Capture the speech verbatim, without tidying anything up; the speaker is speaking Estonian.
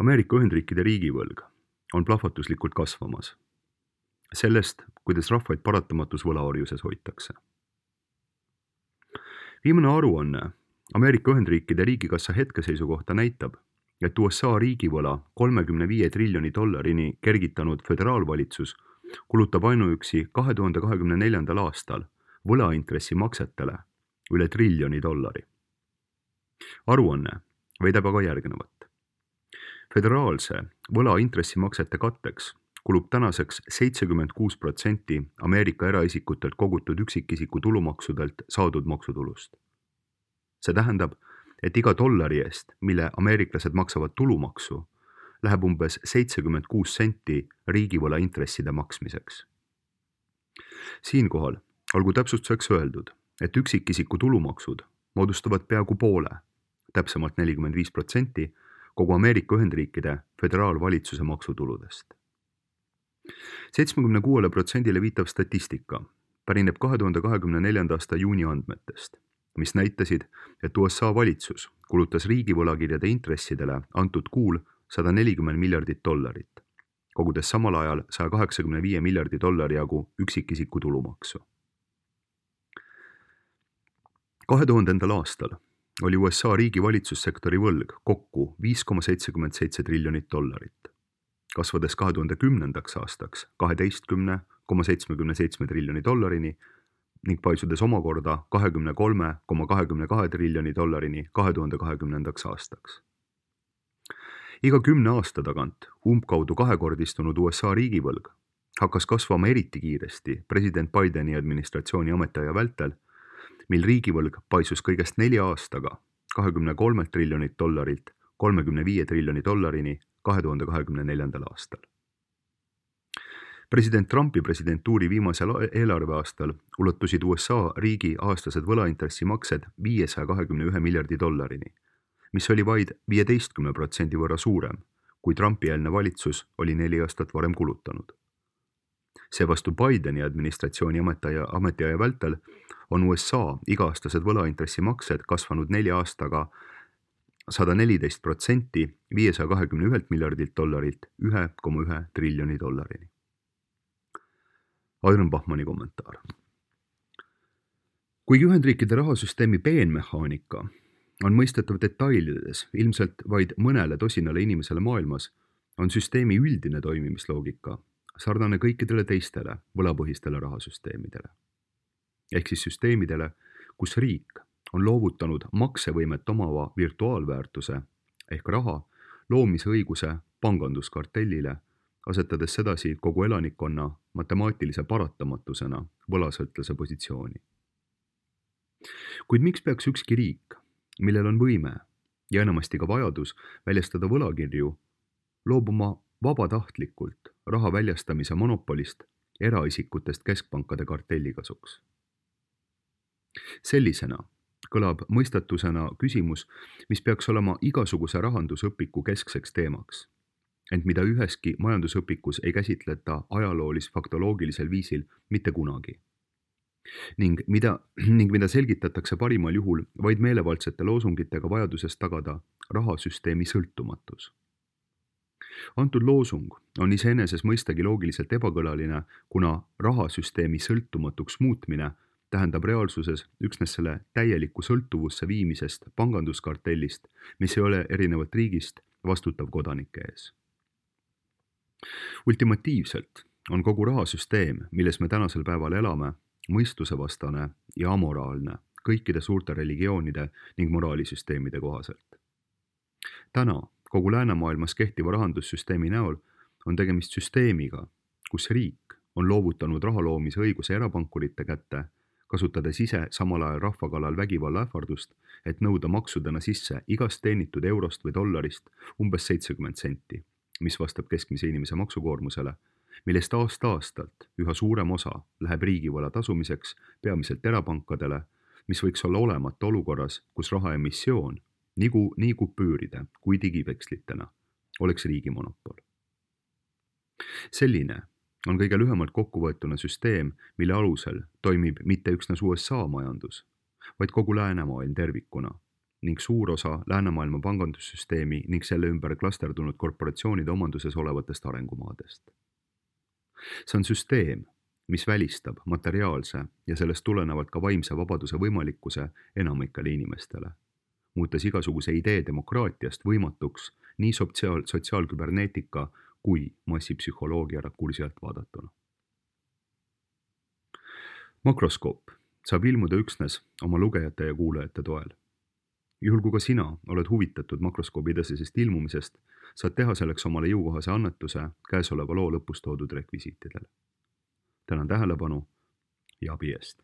Ameerika Ühendriikide riigivõlg on plahvatuslikult kasvamas. Sellest, kuidas rahvaid paratamatus võlaorjuses hoitakse. Viimane aruanne Ameerika Ühendriikide riigikassa hetkeseisu kohta näitab, et U S A riigivõla kolmekümne viie triljoni dollarini kergitanud föderaalvalitsus kulutab ainuüksi kahe tuhande kahekümne neljandal aastal võlaintressi maksetele üle triljoni dollari. Aruanne väidab aga järgnevat. Föderaalse võlaintressimaksete katteks kulub tänaseks seitsekümmend kuus protsenti Ameerika eraisikutelt kogutud üksikisiku tulumaksudelt saadud maksutulust. See tähendab, et iga dollari eest, mille ameeriklased maksavad tulumaksu, läheb umbes seitsekümmend kuus senti riigivõla intresside maksmiseks. Siinkohal olgu täpsustuseks öeldud, et üksikisiku tulumaksud moodustavad peaaegu poole, täpsemalt nelikümmend viis protsenti kogu Ameerika Ühendriikide föderaalvalitsuse maksutuludest. seitsmekümne kuuele protsendile viitav statistika pärineb kahe tuhande kahekümne neljanda aasta juuni andmetest, mis näitasid, et U S A valitsus kulutas riigivõlakirjade intressidele antud kuul sada nelikümmend miljardit dollarit, kogudes samal ajal saja kaheksakümne viie miljardi dollari jagu üksikisiku tulumaksu. kahe tuhandendal aastal oli U S A riigi valitsussektori võlg kokku viis koma seitsekümmend seitse triljonit dollarit, kasvades kahe tuhande kümnendaks aastaks kaheteistkümne koma seitsmekümne seitsme triljoni dollarini ning paisudes omakorda kahekümne kolme koma kahekümne kahe triljoni dollarini kahe tuhande kahekümnendaks aastaks. Iga kümne aasta tagant umbkaudu kahekordistunud U S A riigivõlg hakkas kasvama eriti kiiresti president Bideni administratsiooni ametiaja vältel, mil riigivõlg paisus kõigest nelja aastaga kahekümne kolme triljonilt dollarilt kolmekümne viie triljoni dollarini kahe tuhande kahekümne neljandal aastal. President Trumpi presidentuuri viimasel eelarveaastal ulatusid U S A riigi aastased võlaintressimaksed viiesaja kahekümne ühe miljardi dollarini, mis oli vaid viieteistkümne protsendi võrra suurem, kui Trumpi-eelne valitsus oli neli aastat varem kulutanud. Seevastu Bideni administratsiooni ametiaja, ametiaja vältel on U S A iga-aastased võlaintressimaksed kasvanud nelja aastaga sada neliteist protsenti viiesaja kahekümne ühelt miljardilt dollarilt ühe koma ühe triljoni dollarini. Adrian Bachmanni kommentaar. Kuigi Ühendriikide rahasüsteemi peenmehaanika on mõistetav detailides ilmselt vaid mõnele tosinale inimesele maailmas, on süsteemi üldine toimimisloogika sarnane kõikidele teistele võlapõhistele rahasüsteemidele. Ehk siis süsteemidele, kus riik on loovutanud maksevõimet omava virtuaalväärtuse ehk raha loomise õiguse panganduskartellile, asetades sedasi kogu elanikkonna matemaatilise paratamatusena võlasõltlase positsiooni. Kuid miks peaks ükski riik, millel on võime ja enamasti ka vajadus väljastada võlakirju, loobuma vabatahtlikult raha väljastamise monopolist eraisikutest keskpankade kartelli kasuks? Sellisena kõlab mõistatusena küsimus, mis peaks olema igasuguse rahandusõpiku keskseks teemaks, ent mida üheski majandusõpikus ei käsitleta ajaloolis-faktoloogilisel viisil mitte kunagi. Ning mida, ning mida selgitatakse parimal juhul vaid meelevaldsete loosungitega vajadusest tagada rahasüsteemi sõltumatus. Antud loosung on iseeneses mõistagi loogiliselt ebakõlaline, kuna rahasüsteemi sõltumatuks muutmine tähendab reaalsuses üksnes selle täielikku sõltuvusse viimisest panganduskartellist, mis ei ole erinevalt riigist vastutav kodanike ees. Ultimatiivselt on kogu rahasüsteem, milles me tänasel päeval elame, mõistusevastane ja amoraalne kõikide suurte religioonide ning moraalisüsteemide kohaselt. Täna kogu läänemaailmas kehtiva rahandussüsteemi näol on tegemist süsteemiga, kus riik on loovutanud raha loomise õiguse erapankurite kätte, kasutades ise samal ajal rahva kallal vägivalla ähvardust, et nõuda maksudena sisse igast teenitud eurost või dollarist umbes seitsekümmend senti, mis vastab keskmise inimese maksukoormusele, millest aasta-aastalt üha suurem osa läheb riigivõla tasumiseks peamiselt erapankadele, mis võiks olla olemata olukorras, kus raha emissioon, nii, nii kupüüride kui digivekslitena, oleks riigi monopol. Selline on kõige lühemalt kokkuvõetuna süsteem, mille alusel toimib mitte üksnes U S A majandus, vaid kogu läänemaailm tervikuna ning suur osa läänemaailma pangandussüsteemi ning selle ümber klasterdunud korporatsioonide omanduses olevatest arengumaadest. See on süsteem, mis välistab materiaalse ja sellest tulenevalt ka vaimse vabaduse võimalikkuse enamikele inimestele, muutes igasuguse idee demokraatiast võimatuks nii sotsiaal, sotsiaalküberneetika kui massipsühholoogia kursi alt vaadatuna. Makroskoop saab ilmuda üksnes oma lugejate ja kuulajate toel. Juhul kui ka sina oled huvitatud makroskoobi edasisest ilmumisest, saad teha selleks omale jõukohase annetuse käesoleva loo lõpus toodud rekvisiitidele. Tänan tähelepanu ja abi eest!